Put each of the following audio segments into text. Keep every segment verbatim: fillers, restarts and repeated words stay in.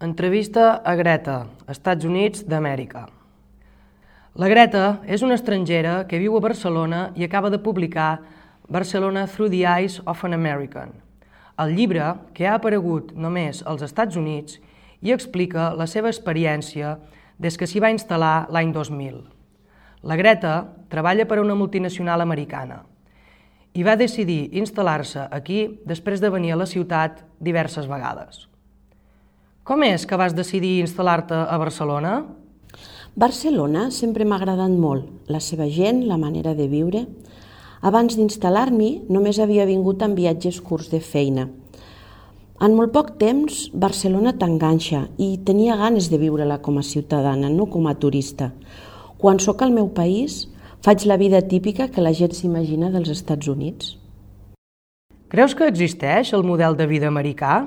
Entrevista a Greta, Estats Units d'Amèrica. La Greta és una estrangera que viu a Barcelona i acaba de publicar Barcelona Through the Eyes of an American, el llibre que ha aparegut només als Estats Units i explica la seva experiència des que s'hi va instal·lar l'any dos mil. La Greta treballa per a una multinacional americana i va decidir instal·lar-se aquí després de venir a la ciutat diverses vegades. Com és que vas decidir instal·lar-te a Barcelona? Barcelona sempre m'ha agradat molt, la seva gent, la manera de viure. Abans d'instal·lar-m'hi només havia vingut en viatges curts de feina. En molt poc temps Barcelona t'enganxa i tenia ganes de viure-la com a ciutadana, no com a turista. Quan sóc al meu país faig la vida típica que la gent s'imagina dels Estats Units. Creus que existeix el model de vida americà?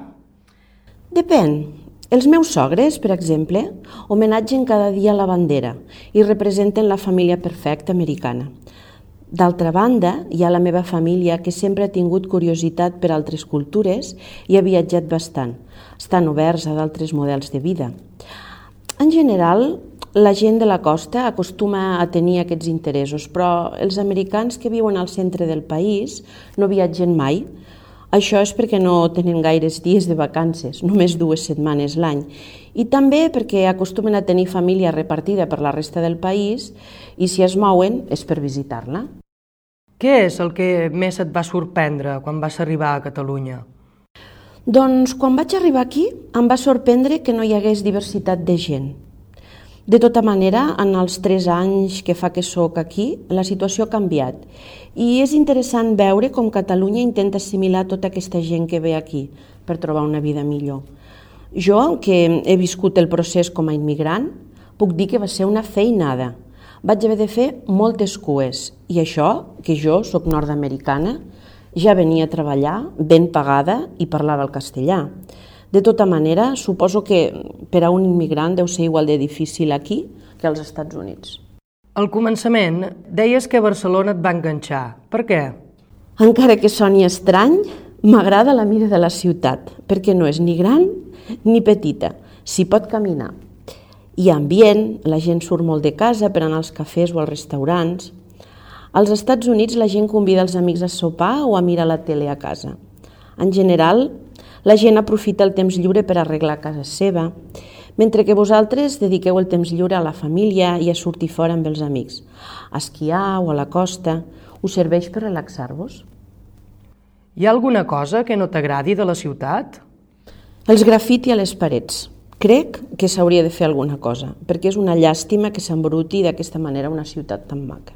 Depèn. Els meus sogres, per exemple, homenatgen cada dia la bandera i representen la família perfecta americana. D'altra banda, hi ha la meva família que sempre ha tingut curiositat per altres cultures i ha viatjat bastant. Estan oberts a d'altres models de vida. En general, la gent de la costa acostuma a tenir aquests interessos, però els americans que viuen al centre del país no viatgen mai. Això és perquè no tenen gaires dies de vacances, només dues setmanes l'any, i també perquè acostumen a tenir família repartida per la resta del país i si es mouen és per visitar-la. Què és el que més et va sorprendre quan vas arribar a Catalunya? Doncs quan vaig arribar aquí em va sorprendre que no hi hagués diversitat de gent. De tota manera, en els tres anys que fa que sóc aquí, la situació ha canviat i és interessant veure com Catalunya intenta assimilar tota aquesta gent que ve aquí per trobar una vida millor. Jo, que he viscut el procés com a immigrant, puc dir que va ser una feinada. Vaig haver de fer moltes cues i això, que jo sóc nord-americana, ja venia a treballar ben pagada i parlava el castellà. De tota manera, suposo que per a un immigrant deu ser igual de difícil aquí que als Estats Units. Al començament deies que Barcelona et va enganxar. Per què? Encara que soni estrany, m'agrada la mida de la ciutat, perquè no és ni gran ni petita, s'hi pot caminar. Hi ha ambient, la gent surt molt de casa per anar als cafès o als restaurants. Als Estats Units la gent convida els amics a sopar o a mirar la tele a casa. En general, la gent aprofita el temps lliure per arreglar casa seva, mentre que vosaltres dediqueu el temps lliure a la família i a sortir fora amb els amics, a esquiar o a la costa. Us serveix per relaxar-vos? Hi ha alguna cosa que no t'agradi de la ciutat? Els grafiti a les parets. Crec que s'hauria de fer alguna cosa, perquè és una llàstima que s'embruti d'aquesta manera una ciutat tan maca.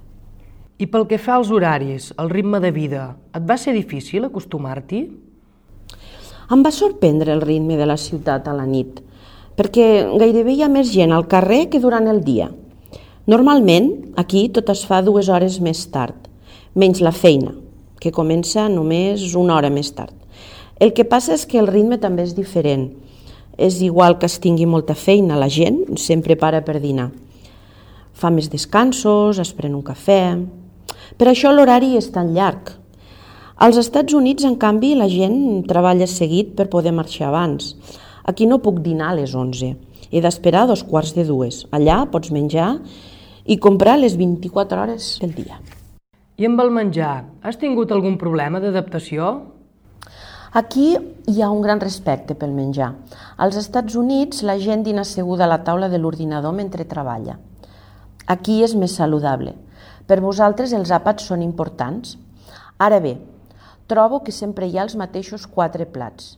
I pel que fa als horaris, al ritme de vida, et va ser difícil acostumar-t'hi? Em va sorprendre el ritme de la ciutat a la nit, perquè gairebé hi ha més gent al carrer que durant el dia. Normalment, aquí tot es fa dues hores més tard, menys la feina, que comença només una hora més tard. El que passa és que el ritme també és diferent. És igual que es tingui molta feina, la gent sempre para per dinar. Fa més descansos, es pren un cafè. Per això l'horari és tan llarg. Als Estats Units, en canvi, la gent treballa seguit per poder marxar abans. Aquí no puc dinar a les onze. He d'esperar dos quarts de dues. Allà pots menjar i comprar les vint-i-quatre hores del dia. I amb el menjar, has tingut algun problema d'adaptació? Aquí hi ha un gran respecte pel menjar. Als Estats Units, la gent dina asseguda a la taula de l'ordinador mentre treballa. Aquí és més saludable. Per vosaltres els àpats són importants. Ara bé, trobo que sempre hi ha els mateixos quatre plats.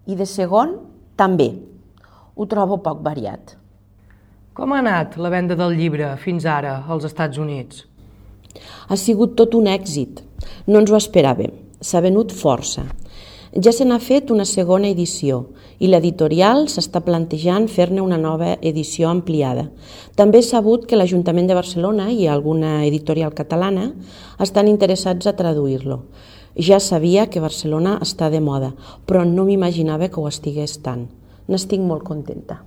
I de segon, també. Ho trobo poc variat. Com ha anat la venda del llibre fins ara als Estats Units? Ha sigut tot un èxit. No ens ho esperàvem. S'ha venut força. Ja se n'ha fet una segona edició i l'editorial s'està plantejant fer-ne una nova edició ampliada. També he sabut que l'Ajuntament de Barcelona i alguna editorial catalana estan interessats a traduir-lo. Ja sabia que Barcelona està de moda, però no m'imaginava que ho estigués tant. N'estic molt contenta.